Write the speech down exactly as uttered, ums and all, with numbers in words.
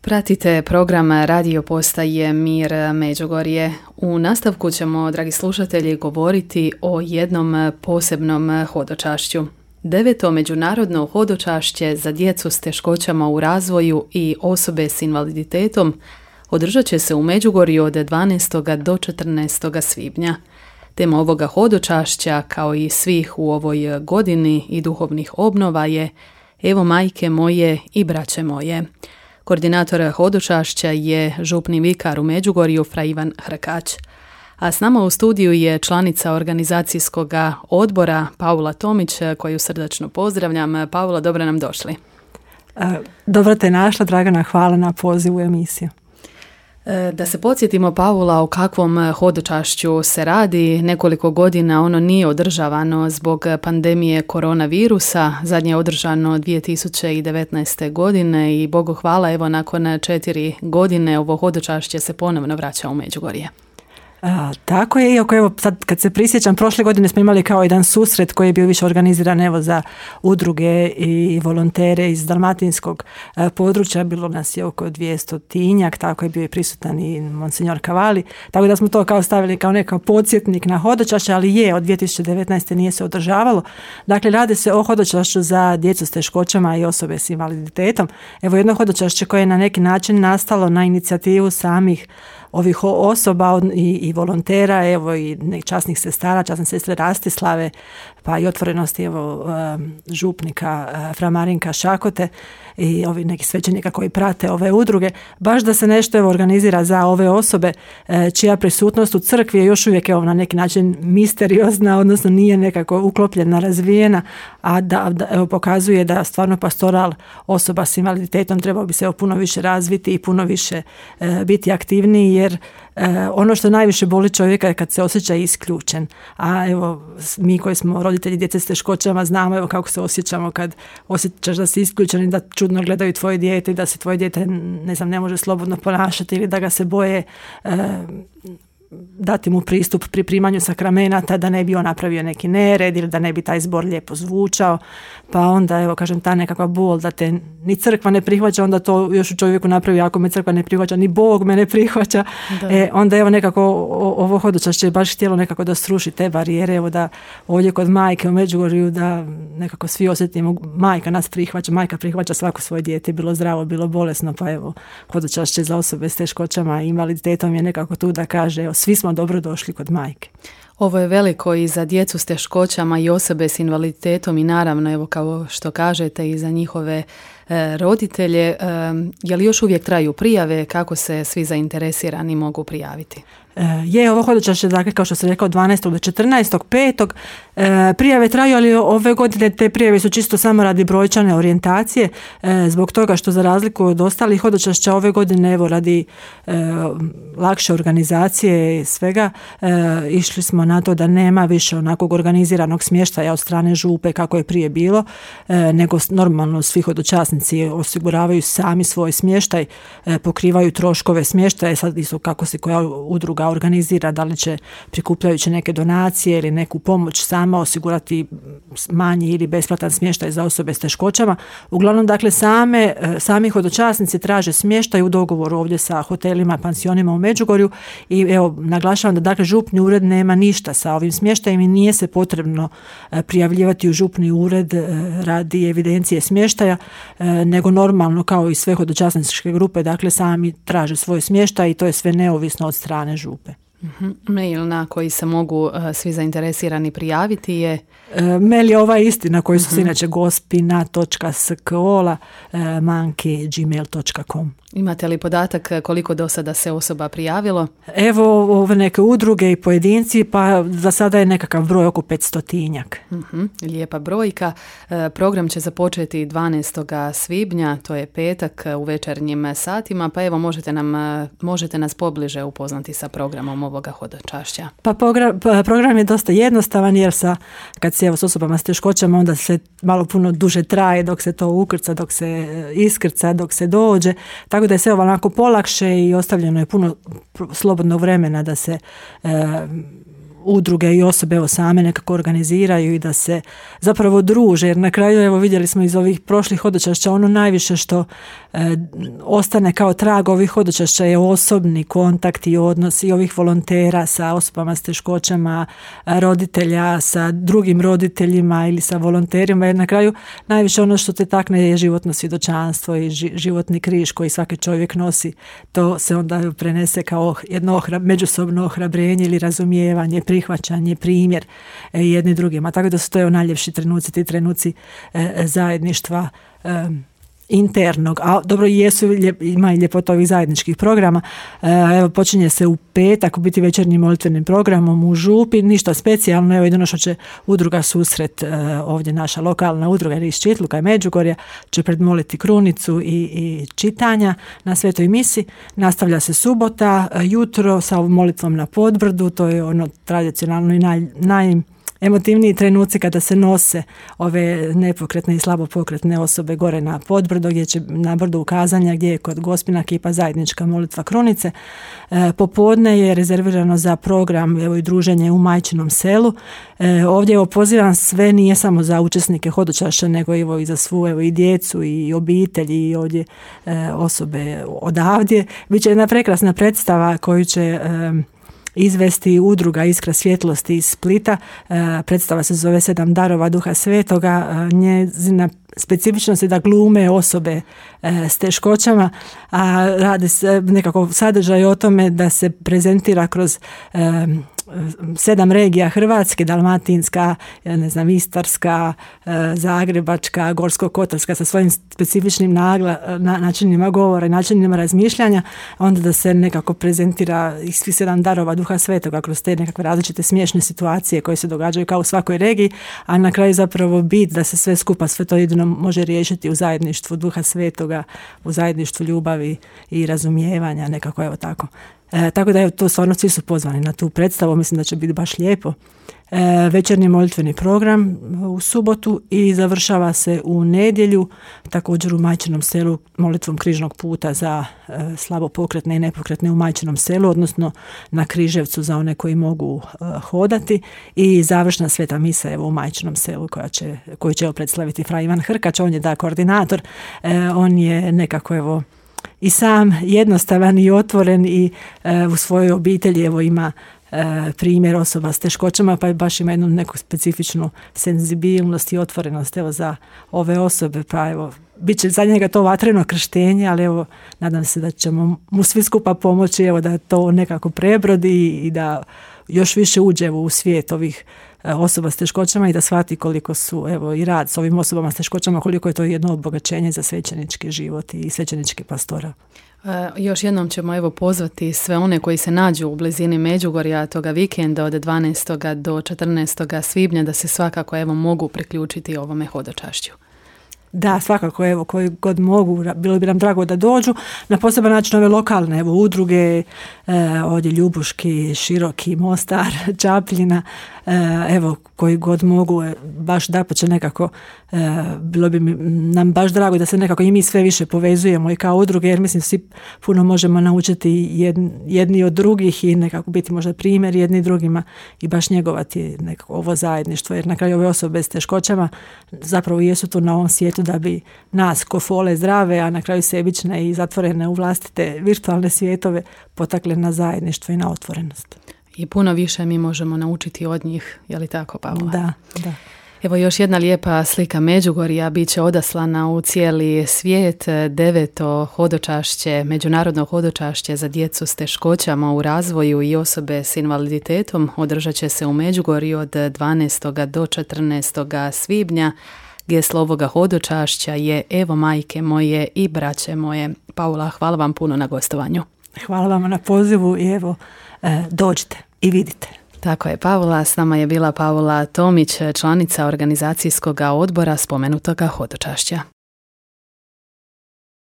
Pratite program radio postaje Mir Međugorje. U nastavku ćemo, dragi slušatelji, govoriti o jednom posebnom hodočašću. Deveto međunarodno hodočašće za djecu s teškoćama u razvoju i osobe s invaliditetom održat će se u Međugorju od dvanaestog do četrnaestog svibnja. Tema ovoga hodočašća, kao i svih u ovoj godini i duhovnih obnova, je Evo majke moje i braće moje. Koordinator hodočašća je župni vikar u Međugorju fra Ivan Hrkać. A s nama u studiju je članica organizacijskog odbora Paula Tomić, koju srdačno pozdravljam. Paula, dobro nam došli. Dobro te našla, Dragana, hvala na pozivu u emisiju. Da se podsjetimo, Paula, o kakvom hodočašću se radi. Nekoliko godina ono nije održavano zbog pandemije koronavirusa. Zadnje je održano dvije tisuće devetnaeste. godine i Bogu hvala, evo nakon četiri godine ovo hodočašće se ponovno vraća u Međugorje. A, tako je, iako evo sad kad se prisjećam, prošle godine smo imali kao jedan susret koji je bio više organiziran evo za udruge i volontere iz dalmatinskog a, područja, bilo nas je oko dvjestotinjak, tako je bio i prisutan i Monsignor Cavalli, tako da smo to kao stavili kao nekakav podsjetnik na hodočašće, ali je, od dvije tisuće devetnaeste. nije se održavalo. Dakle, radi se o hodočašću za djecu s teškoćama i osobe s invaliditetom. Evo jedno hodočašće koje je na neki način nastalo na inicijativu samih ovih osoba i, i volontera, evo i časnih sestara, časne sestre Rastislave, pa i otvorenosti evo župnika fra Marinka Šakote i ovi neki svećenika koji prate ove udruge, baš da se nešto evo organizira za ove osobe čija prisutnost u crkvi je još uvijek evo na neki način misteriozna, odnosno nije nekako uklopljena, razvijena, a da, da evo pokazuje da stvarno pastoral osoba s invaliditetom trebao bi se evo puno više razviti i puno više e, biti aktivniji, jer e, ono što najviše boli čovjeka je kad se osjeća isključen. A evo mi koji smo roditelji djece s teškoćama znamo evo kako se osjećamo kad osjećaš da si isključen i da čudno gledaju tvoje dijete i da se tvoje dijete ne znam ne može slobodno ponašati ili da ga se boje e, dati mu pristup pri primanju sakramenata, da ne bi on napravio neki nered ili da ne bi taj zbor lijepo zvučao, pa onda evo kažem ta nekakva bol da te ni crkva ne prihvaća, onda to još u čovjeku napravi, ako me crkva ne prihvaća, ni Bog me ne prihvaća, e, onda evo nekako ovo hodočašće je baš htjelo nekako da sruši te barijere, evo da ovdje kod majke u Međugorju da nekako svi osjetimo, majka nas prihvaća, majka prihvaća svako svoje dijete, bilo zdravo, bilo bolesno, pa evo hodočašće za osobe s teškoćama i invaliditetom je nekako tu da kaže evo svi smo dobro došli kod majke. Ovo je veliko i za djecu s teškoćama i osobe s invaliditetom i naravno, evo kao što kažete, i za njihove e, roditelje. E, je li još uvijek traju prijave, kako se svi zainteresirani mogu prijaviti? Je, ovo hodočašće, dakle, kao što sam rekao, dvanaestog do četrnaestog petog E, prijave traju, ali ove godine te prijave su čisto samo radi brojčane orijentacije, e, zbog toga što za razliku od ostalih hodočašća ove godine, evo radi e, lakše organizacije i svega, e, išli smo na to da nema više onakvog organiziranog smještaja od strane župe kako je prije bilo, e, nego normalno svi hodočasnici osiguravaju sami svoj smještaj, e, pokrivaju troškove smještaja, sad isto kako se koja udruga organizira, da li će prikupljajući neke donacije ili neku pomoć sama osigurati manji ili besplatan smještaj za osobe s teškoćama. Uglavnom, dakle, same, sami hodočasnici traže smještaj u dogovoru ovdje sa hotelima, pansionima u Međugorju i evo, naglašavam da dakle župni ured nema ništa sa ovim smještajem i nije se potrebno prijavljivati u župni ured radi evidencije smještaja, nego normalno kao i sve hodočasničke grupe, dakle, sami traže svoj smještaj i to je sve neovisno od strane župe. Mm-hmm. Mail na koji se mogu uh, svi zainteresirani prijaviti je? E, mail je ovaj isti na koji su mm-hmm. se inače gospina točka skola e, manki gmail točka com. Imate li podatak koliko do sada se osoba prijavilo? Evo ove neke udruge i pojedinci, pa za sada je nekakav broj oko petstotinjak. Mm-hmm. Lijepa brojka. E, program će započeti dvanaestog svibnja, to je petak, u večernjim satima, pa evo možete, nam, možete nas pobliže upoznati sa programom ovoga hodočašća. Pa program, program je dosta jednostavan jer sa, kad se evo s osobama s teškoćama onda se malo puno duže traje dok se to ukrca, dok se iskrca, dok se dođe. Tako da je sve onako polakše i ostavljeno je puno slobodnog vremena da se e, udruge i osobe evo same nekako organiziraju i da se zapravo druže, jer na kraju evo vidjeli smo iz ovih prošlih hodočašća ono najviše što e, ostane kao trag ovih hodočašća je osobni kontakt i odnos i ovih volontera sa osobama s teškoćama, roditelja sa drugim roditeljima ili sa volonterima, jer na kraju najviše ono što te takne je životno svjedočanstvo i životni križ koji svaki čovjek nosi. To se onda prenese kao jedno ohra, međusobno ohrabrenje ili razumijevanje, prihvaćanje, primjer e, jedni drugima. Tako da su to najljepši trenuci, ti trenuci e, zajedništva e, internog, a dobro jesu, ima i ljepota ovih zajedničkih programa. Evo, počinje se u petak biti večernjim molitvenim programom u Župi, ništa specijalno, evo jedino što će udruga Susret, ovdje naša lokalna udruga iz Čitluka i Međugorja, će predmoliti krunicu i, i čitanja na Svetoj misi. Nastavlja se subota, jutro sa molitvom na Podbrdu, to je ono tradicionalno i naj, naj emotivniji trenuci kada se nose ove nepokretne i slabopokretne osobe gore na Podbrdo, gdje će na brdu ukazanja gdje je kod Gospina kipa zajednička molitva krunice. E, popodne je rezervirano za program evo i druženje u Majčinom selu. E, ovdje evo pozivam sve, nije samo za učesnike hodočašća, nego evo i za svu evo i djecu i obitelji i ovdje e, osobe odavdje. Biće jedna prekrasna predstava koju će e, izvesti udruga Iskra svjetlosti iz Splita. E, predstava se zove Sedam darova Duha Svetoga. E, njezina specifičnost je da glume osobe e, s teškoćama, a radi se nekako sadržaj o tome da se prezentira kroz e, sedam regija Hrvatske, Dalmatinska, ne znam, Istarska, Zagrebačka, Gorsko-kotarska sa svojim specifičnim nagla, na, načinima govora i načinima razmišljanja, onda da se nekako prezentira i svi sedam darova Duha Svetoga kroz te nekakve različite smiješne situacije koje se događaju kao u svakoj regiji, a na kraju zapravo bit da se sve skupa, sve to jedino može riješiti u zajedništvu Duha Svetoga, u zajedništvu ljubavi i razumijevanja, nekako evo tako. E, tako da evo, to stvarno svi su pozvani na tu predstavu, mislim da će biti baš lijepo. E, večernji molitveni program u subotu i završava se u nedjelju, također u Majčinom selu molitvom križnog puta za e, slabo pokretne i nepokretne u Majčinom selu, odnosno na Križevcu za one koji mogu e, hodati, i završna sveta misa evo u Majčinom selu koja će, koju će predstaviti fra Ivan Hrkač, on je da koordinator, e, on je nekako evo i sam jednostavan i otvoren i e, u svojoj obitelji evo ima e, primjer osoba s teškoćama, pa baš ima jednu neku specifičnu senzibilnost i otvorenost evo za ove osobe, pa evo bit će za njega to vatreno krštenje, ali evo nadam se da ćemo mu svi skupa pomoći evo da to nekako prebrodi i da još više uđe u svijet ovih osoba s teškoćama i da shvati koliko su evo i rad s ovim osobama s teškoćama, koliko je to jedno obogaćenje za svećenički život i svećenički pastora. E, još jednom ćemo evo pozvati sve one koji se nađu u blizini Međugorja toga vikenda od dvanaestog do četrnaestog svibnja da se svakako evo mogu priključiti ovome hodočašću. Da, svakako, evo, koji god mogu, bilo bi nam drago da dođu. Na poseban način ove lokalne, evo, udruge, e, ovdje Ljubuški, Široki, Mostar, Čapljina, e, evo, koji god mogu, e, baš da će nekako, e, bilo bi mi, nam baš drago da se nekako i mi sve više povezujemo i kao udruge, jer mislim svi puno možemo naučiti jedni, jedni od drugih i nekako biti možda primjer jedni drugima i baš njegovati nekako ovo zajedništvo, jer na kraju ove osobe s teškoćama zapravo jesu tu na ovom svijetu da bi nas ko fole zdrave, a na kraju sebične i zatvorene u vlastite virtualne svijetove potakle na zajedništvo i na otvorenost. I puno više mi možemo naučiti od njih, je li tako, Pavla? Da, da. Evo još jedna lijepa slika Međugorja bit će odaslana u cijeli svijet. Deveto hodočašće, međunarodno hodočašće za djecu s teškoćama u razvoju i osobe s invaliditetom održat će se u Međugorju od dvanaestog do četrnaestog svibnja. Geslo ovoga hodočašća je Evo majke moje i braće moje. Paula, hvala vam puno na gostovanju. Hvala vam na pozivu i evo e, dođite i vidite. Tako je, Paula. S nama je bila Paula Tomić, članica organizacijskog odbora spomenutoga hodočašća.